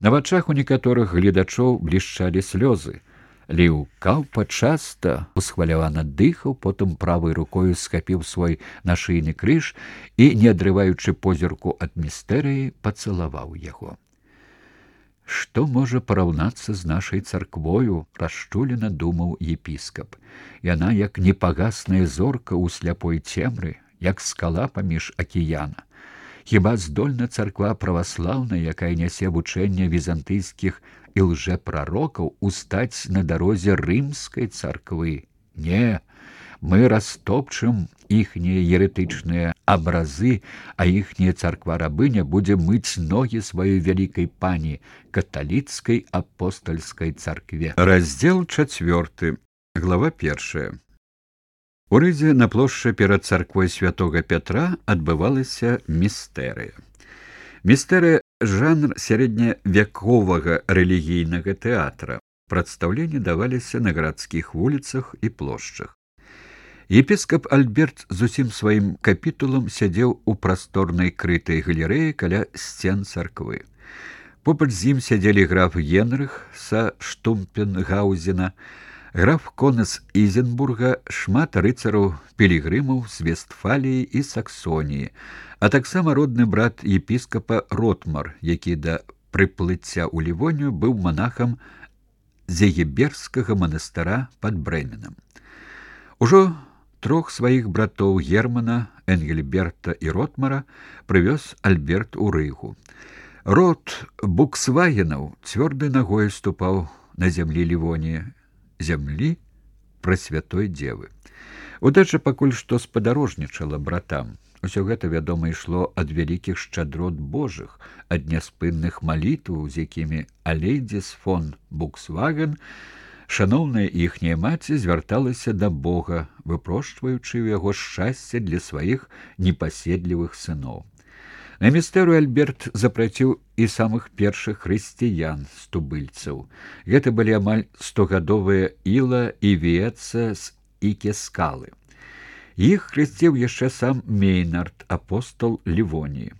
На вачах у некаторых гледачоў блішчалі слёзы. Ліў Каўпа часта усхвалявана дыхаў, потым правай рукою схапіў свой нашыйны крыж і, не адрываючы позірку ад містэрыі, пацалаваў яго. «Што можа параўнацца з нашай царквою?» – расчулена думаў епіскап. «Яна як непагасная зорка ў сляпой цемры, як скала паміж акіяна. Хіба здольна царква праваслаўная, якая нясе вучэнне візантыйскіх і лжэпрарокаў, устаць на дарозе рымскай царквы? Не, мы растопчым іхнія еретычныя абразы, а іхняя царква-рабыня будзе мыць ногі сваёй вялікай пані, каталіцкай апостальскай царкве». Раздзел 4, глава 1. У Рызе на плошчы перад царквой святога Пятра адбывалася містэрыя. Містэрыя – жанр сярэдневяковага рэлігійнага тэатра. Прадстаўленні даваліся на гарадскіх вуліцах і плошчах. Епіскап Альберт з усім сваім капітулам сядзеў у прасторнай крытай галерэі каля сцен царквы. Побач з ім сядзелі граф Генрых са Штумпенгаузена, граф Конес Ізенбурга, шмат рыцараў-пілігрымаў з Вестфаліі і Саксоніі, а таксама родны брат епіскапа Ротмар, які да прыплыцця ў Лівонію быў манахам Зегеберскага манастыра пад Брэменам. Ужо трох сваіх братоў Германа, Энгельберта і Ротмара прывёз Альберт у Рыгу. Род Буксвагенаў цвёрдай нагой ступаў на зямлі Лівоніі, зямлі Прасвятой Дзевы. Удача пакуль што спадарожнічала братам. Усё гэта, вядома, ішло ад вялікіх шчадрот Божых, ад няспынных малітваў, з якімі Алейдзіс фон Буксваген, шаноўная іхняя маці, звярталася да Бога, выпрошчваючы ў яго шчасце для сваіх непаседлівых сыноў. На містэрыю Альберт запраціў і самых першых хрысціян з тубыльцаў. Гэта былі амаль 100гадовыя Іла і Віецца з Ікескалы. Іх хрысціў яшчэ сам Мейнард, апостол Лівоніі.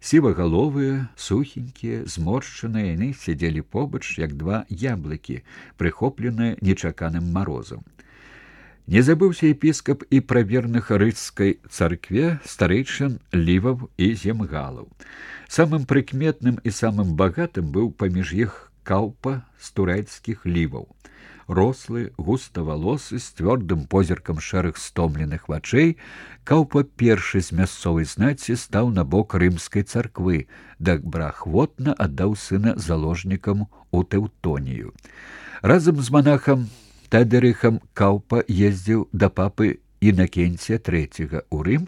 Сівагаловыя, сухенькія, зморшчаныя, яны сядзелі побач, як два яблыкі, прыхопленыя нечаканым марозам. Не забыўся епіскап і пра верных рыцкай царкве старэйшын Ліваў і Земгалаў. Самым прыкметным і самым багатым быў паміж іх Каўпа з турэцкіх Ліваў. Рослы, густавалосы, з цвёрдым позіркам шэрых стомленых вачэй, Каўпа першы з мясцовай знаці стаў на бок рымскай царквы, добраахвотна аддаў сына заложнікам у Тэўтонію. Разам з манахам Тадерыхам Каўпа ездзіў да папы Інакенція III у Рым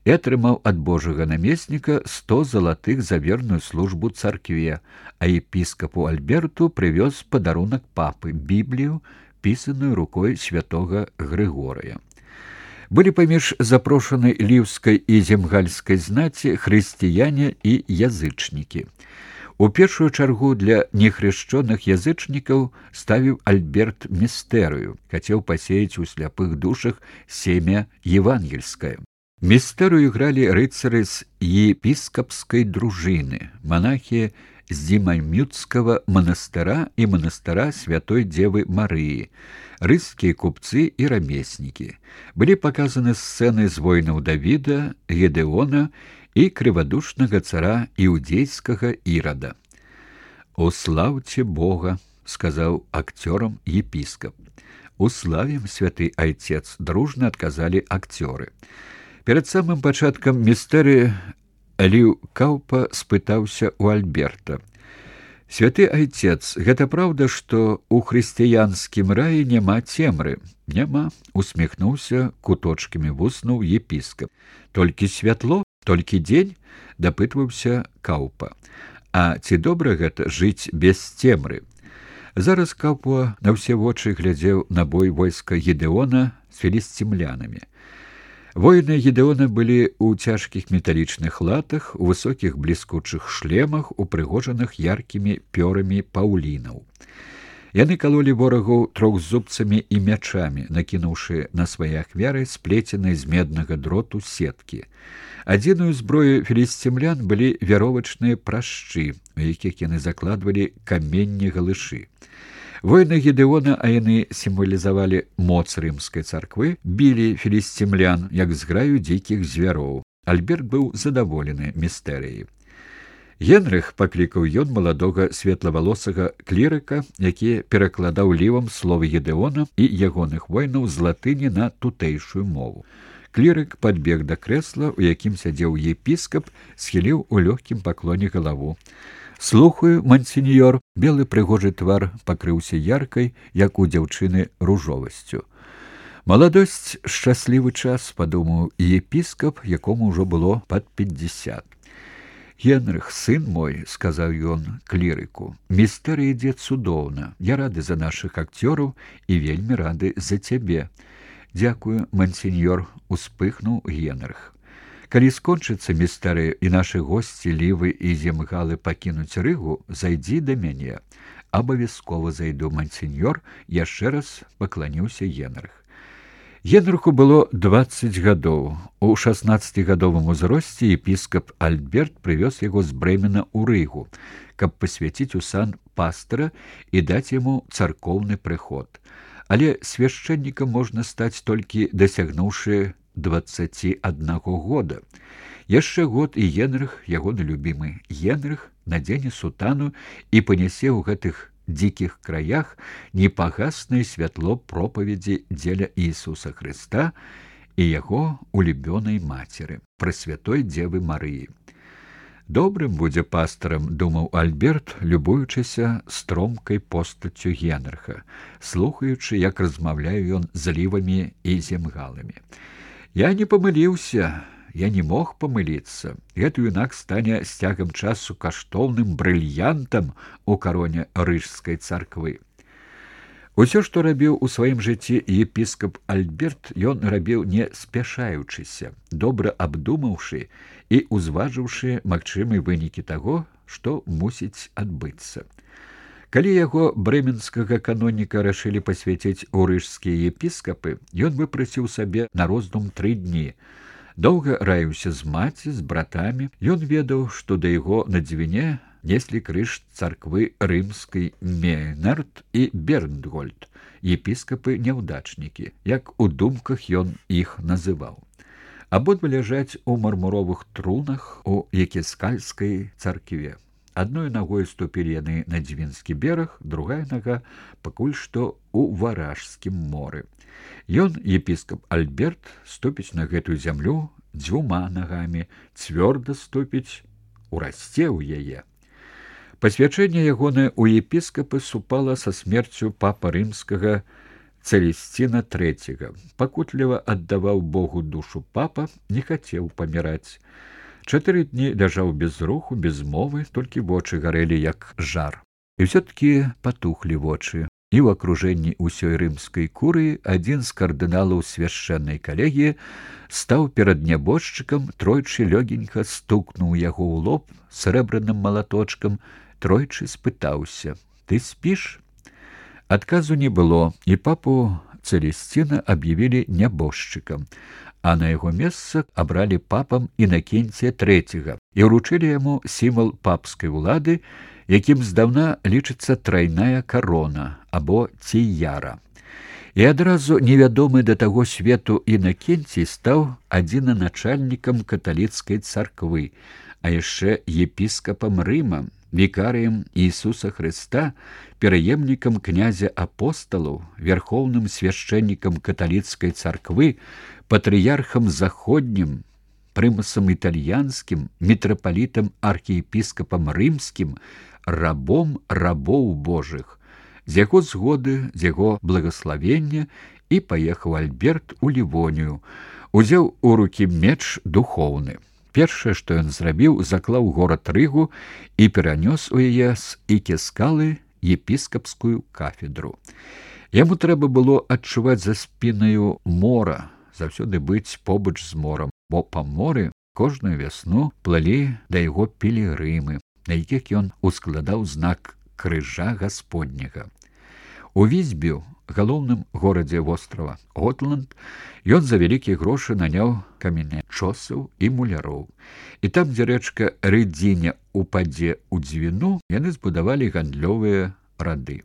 і атрымаў ад божага намесніка 100 залатых за верную службу царкве, а епіскапу Альберту прывёз падарунак папы, Біблію, пісаную рукой святога Грыгорыя. Былі паміж запрошанай ліўскай і земгальскай знаці хрысціяне і язычнікі. У першую чаргу для нехрышчоных язычнікаў ставіў Альберт містэрыю, хацеў пасеяць у сляпых душах семя евангельскае. Містэрыю гралі рыцары з епіскапскай дружыны, манахі з Дзімамюцкага манастыра і манастыра Святой Дзевы Марыі, рыскія купцы і рамеснікі. Былі паказаны сцэны з войнаў Давіда, Гедеона і крывадушнага цара іудзейскага Ірада. «Услаўце Бога», — сказаў акцёрам епіскап. «Уславім, святы айцец», — дружна адказалі акцёры. Перад самым пачаткам містэрыі Ліў Каўпа спытаўся ў Альберта: «Святы айцец, гэта праўда, што ў хрысціянскім раі няма цемры?» «Няма», — усміхнуўся куточкамі вуснаў епіскап. «Толькі святло? Толькі дзень?» — дапытваўся Каўпа. «А ці добра гэта жыць без цемры?» Зараз Каўпа на ўсе вочы глядзеў на бой войска Гедеона з філісцімлянамі. Воіны Гедеона былі ў цяжкіх металічных латах, у высокіх бліскучых шлемах, упрыгожаных яркімі пёрамі паўлінаў. Яны калолі ворагаў трохзубцамі і мячамі, накінуўшы на свае ахвяры сплеценай з меднага дроту сеткі. Адзінаю зброю філісцімлян былі вяровачныя прашчы, у якіх яны закладвалі каменні галышы. Воіны Гедеона, а яны сімвалізавалі моц рымскай царквы, білі філісцімлян, як зграю дзікіх звяроў. Альберт быў задаволены містэрыяй. Генрых паклікаў ён маладога светлавалосага клірыка, які перакладаў лівам словы Гедеона і ягоных воінаў з латыні на тутэйшую мову. Клірык падбег да крэсла, у якім сядзеў епіскап, схіліў у лёгкім паклоне галаву. «Слухаю, мансіньёр». Белы прыгожы твар пакрыўся яркай, як у дзяўчыны, ружовасцю. «Маладосць — шчаслівы час», — падумаў епіскап, якому ўжо было пад 50. «Генрых, сын мой», — сказаў ён клірыку, — «містэрыя ідзе цудоўна. Я рады за нашых акцёраў і вельмі рады за цябе». «Дзякую, мансіньёр», — успыхнуў Генрых. «Калі скончыцца містэрыя і нашы госці Лівы і Земгалы пакінуць Рыгу, зайдзі да мяне». «Абавязкова зайду, мансіньёр», — яшчэ раз пакланіўся Генрых. Генрыху было 20 гадоў. У 16гадовым узросце епіскап Альберт прывёз яго з Брэмена ў Рыгу, каб пасвяціць у сан пастара і даць яму царкоўны прыход. Але свяшчэннікам можна стаць толькі дасягнуўшы 21 года. Яшчэ год і Генрых, ягоны любімы Генрых, надзене сутану і панясе ў гэтых дзікіх краях непагаснае святло пропаведзі дзеля Ісуса Хрыста і яго улюбёнай мацеры, Прасвятой Дзевы Марыі. «Добрым будзе пастарам», — думаў Альберт, любуючыся стромкай постаццю Генрыха, слухаючы, як размаўляе ён з Лівамі і Земгаламі. «Я не памыліўся. Я не мог памыліцца. Гэты юнак стане з цягам часу каштоўным брыльянтам у кароне рыжскай царквы». Усё, што рабіў у сваім жыцці епіскап Альберт, ён рабіў не спяшаючыся, добра абдумаўшы і узважыўшы магчымыя вынікі таго, што мусіць адбыцца. Калі яго брэменскага каноніка рашылі пасвяціць у рыжскія епіскапы, ён выпрасіў сабе на роздум 3 дні. Доўга раіўся з маці, з братамі. Ён ведаў, што да яго на дзвіне неслі крыж царквы рымскай Мейнард і Бернгольд, епіскапы няўдачнікі, як у думках ён іх называў. Абодва ляжаць у мармуровых трунах у Екіскальскай царкве. Адной нагой ступілі яны на Дзвінскі бераг, другая нага пакуль што ў Варажскім моры. Ён, епіскап Альберт, ступіць на гэтую зямлю 2 нагамі, цвёрда ступіць, урасце ў яе. Пасвячэнне ягонае ў епіскапы супала са смерцю папа рымскага Цэлесціна III. Пакутліва аддаваў Богу душу папа, не хацеў паміраць. 4 дні ляжаў без руху, без мовы, толькі вочы гарэлі, як жар. І ўсё-ткі патухлі вочы. І ў акружэнні ўсёй рымскай курыі адзін з кардыналаў свяшчэннай калегіі стаў перад нябожчыкам, тройчы лёгенька стукнуў яго ў лоб срэбраным малаточкам, тройчы спытаўся: «Ты спіш?» Адказу не было, і папу Цэлесціна аб'явілі нябожчыкам, а на яго месца абралі папам Інакенція III і ўручылі яму сімвал папскай улады, якім здаўна лічыцца трайная карона або ціяра. І адразу невядомы да таго свету Інакенцій стаў адзінаначальнікам каталіцкай царквы, а яшчэ епіскапам Рыма, вікарыем Ісуса Хрыста, пераемнікам князя апосталаў, вярхоўным свяшчэннікам каталіцкай царквы, патрыярхам заходнім, прымасам італьянскім, мітрапалітам архіепіскапам рымскім, рабом рабоў Божых. З яго згоды, з яго благаславення і паехаў Альберт у Лівонію, узяў у рукі меч духоўны. Першае, што ён зрабіў, заклаў горад Рыгу і перанёс у яе з Екіскалы епіскапскую кафедру. Яму трэба было адчуваць за спінаю мора, заўсёды быць побач з морам, бо па моры кожную вясну плылі да яго пілігрымы, на якіх ён ускладаў знак крыжа Гасподняга. У Візьбю, галоўным горадзе вострава Готланд, ён за вялікія грошы наняў каменячосаў і муляроў. І там, дзе рэчка Рыдзіня упадзе ў дзвіну, яны збудавалі гандлёвыя рады.